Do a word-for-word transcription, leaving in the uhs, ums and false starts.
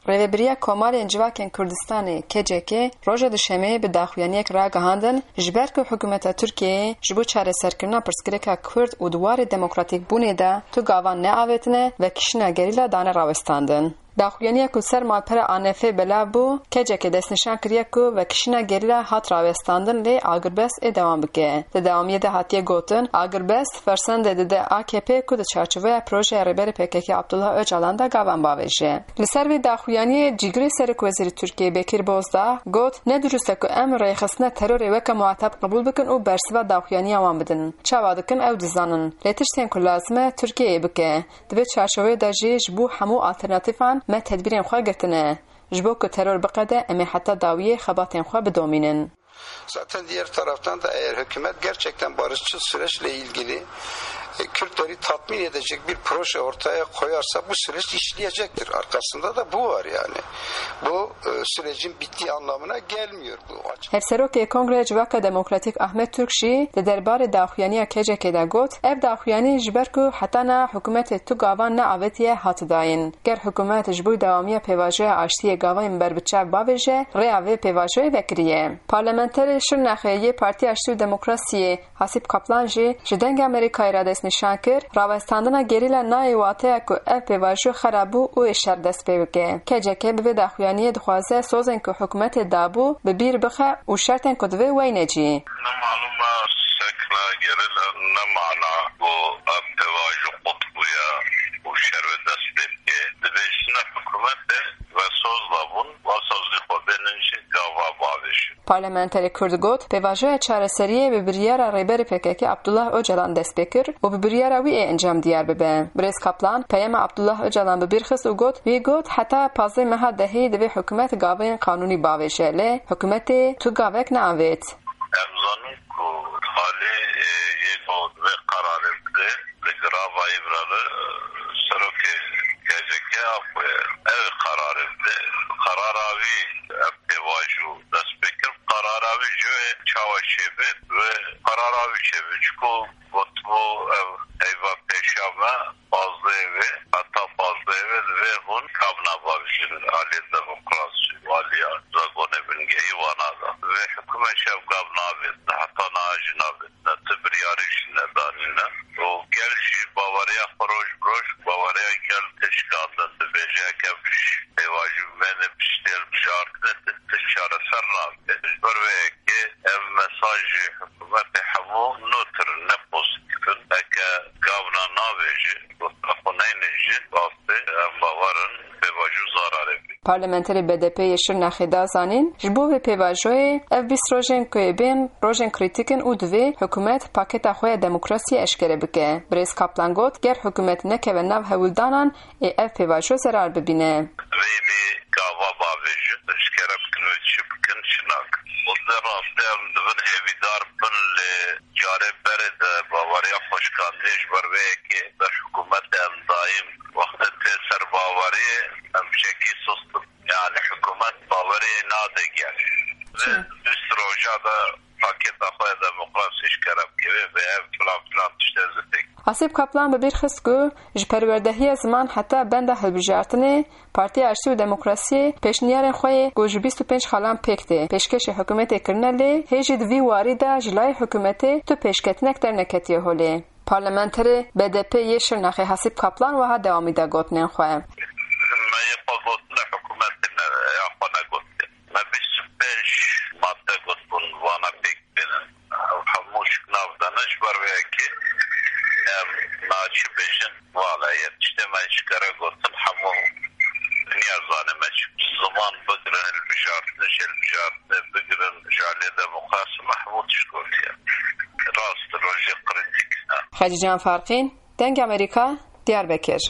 Rêvebiriya Komarên Civakên Kurdistanê, K C K, roja Duşemê bi daxuyaniyek ragihandin, ji ber ku hikûmeta Tirkiyeyê ji bo çareserkirina pirsgirêka Kurd û di warê demokratîkbûnê de tu gavan neavêtine, vekişîna gerîla dane rawestandin. Daxuyaniya ku ser malpera A N F'ê belav bû, K C K destnîşan kiriye ku vekişîna gerîla hat rawestandin, lê agirbest ê dewam bike. Di dewamiyê de hatiye gotin, agirbest fersendê dide A K P ku di çarçoveya projeya Rêberê P K K Abdullah Ocalan de gavan bavêje. Li ser vê daxuyaniyê cîgirê Serokwezîrê Tirkiyê Bekir Bozdağ got, ne dirust e ku em rêxistina terorê weke muhateb qebûl bikin û bersiva daxuyaniya wan bidin. Çawa dikin ew dizanin. Lê tiştên ku lazim e Tirkiyeyê bike. Di vê çarçoveyê de jî ji bo hemû alternatîfan me tedbîrên xwe girtine. Ji bo ku teror biqede, em ê heta dawiyê xebatên xwe bidomînin. Zaten diğer taraftan da eğer hükümet gerçekten barışçıl süreçle ilgili, e, Kürtleri tatmin edecek bir proje ortaya koyarsa bu süreç işleyecektir. Arkasında da bu var yani. Bu, e, sürecin bittiği anlamına gelmiyor bu açık. Hevserokê Kongreya Civaka Demokratîk Ahmet Türk jî di derbarê daxuyaniya K C K de got, ev daxuyanî ji ber ku heta niha hikûmetê tu gavan neavêtiye hat dayîn. Ger hikûmet ji bo dewamiya pêvajoya aştiyê gavên berbiçav bavêje, rêya vê pêvajoyê vekirî ye. Parlamenterê Şirnexê yê Partiya Aştî û Demokrasiyê Hasîb Kaplan jî ji Dengê Amerîkayê re destnîşan kir, rawestandina gerîla nayê wateya ku ev pêvajo xera bû û ê şer dest pê bike. K C K bi vê daxuyaniyê dixwaze sozên ku hikûmetê dabû bi bîr bixe û şertên ku divê weyne cî. Ne malûm e sekna gerîla, ne mana ku ev pêvajo qut bûye û şer wê dest pê bike. Dibêjine hikûmetê ve soz dabûn, va sozî xwe bênin jî gava bavêjin. Parlamenterê Kurd got, pêvajoya çareseriyê bi biryara Rêberê P K K Abdullah Ocalan dest pê kir û bi biryara wî ê encam diyar bibe. Birêz Kaplan peyama Abdullah Ocalan bi bîr xist û got, wî got, heta pazdeh meha dehî divê hikûmet gavên qanûnî bavêje, lê hikûmetê tu gavek neavêt. Em zanin ku alî, e, yê ku vê qerarê bide, li girava Îmralı, e, serokê K C K a ku ev qerarê bide. Qerara wî ev pêvajo dest pê kir. Qerara wî ji wê çawa çêbê? Wê qerara wî çêbê. Çiku gotibû ev heyva pêşiya me, pazdehê wê, heta pazdehê wê divê hûn gavna bavêjin. Aliyê demokrasî, aliya zagonê bingehî wana da. Vê hikûmet jî ev gav navêt, heta niha jî navêt. Ne ti biryarê jî nedanîne. Û gel jî baweriya xwe roj bi roj, baweriya gel tê şikandin. Dibêje, heke pêvajo bimêne piştê hilbijartinê, ti tişt çareser nabe. Ji ber vê yekê ev mesajê hikûmetê hemû nûtir in, ne pozîtîf in. Heke gavna navêje, gotina xwe neyne jî, rastê em bawer in pêvajo zararê bî. Parlamenterê B D P yê Şirnexê da zanîn, ji bo vê pêvajoyê ev bîst rojên ku ê bên rojên krîtîk in û divê hikûmet paketa xwe ya demokrasiyê eşkere bike. Birêz Kaplan got, ger hikûmet nekeve nav hewldanan, ê ev pêvajo zerar bibîne. Divê bê gava bavêjin, eşkere bikin wê çi bikin, çi nakin. Û di rastî em dibin hêvîdar bin, lê carê berê de baweriya xwe şikandiye, ji ber vê yekê ber hikûmetê em daîm wextê tê ser baweriyê em çekî sust in. Yani hikûmet baweriyê nade gel. Çi? Vê bîst roja de paketa xwe ya demokrasî eşkere bike, vê ev filan filan tişt ez ê pêk. Hasîb Kaplan bi bîr xist ku ji perwerdehiya ziman heta benda hilbijartinê, Partiya Aştî û Demokrasiyê pêşniyarên xwe yê ku ji bîst û pênc xalan pêk tê, pêşkêşî hikûmetê kirine, lê hê jî di vî warî de ji layê hikûmetê tu pêşketinek derneketiye holê. Parlamenterê B D P yê Şirnexê Hasîb Kaplan wiha dewamî da gotinên xwe. Me yê xwe gotine hikûmetê me ya xwe negotiye. Me bîst û pênc madde gotibûn, vana pêk bênin. Ew hemû şiknav dane, ji ber vê yekê em naçi bêjin. Wala yê tiştê me eşkere gotin, hemû dinya zane me çi ziman bigirin, hilbijartin, ji hilbijartinê bigirin, ji aliyê demokrasî me hemû tişt gotiye. Rast rojê krîtîk e. Xecîcan Farqîn, Dengê Amerîka, Diyarbekir.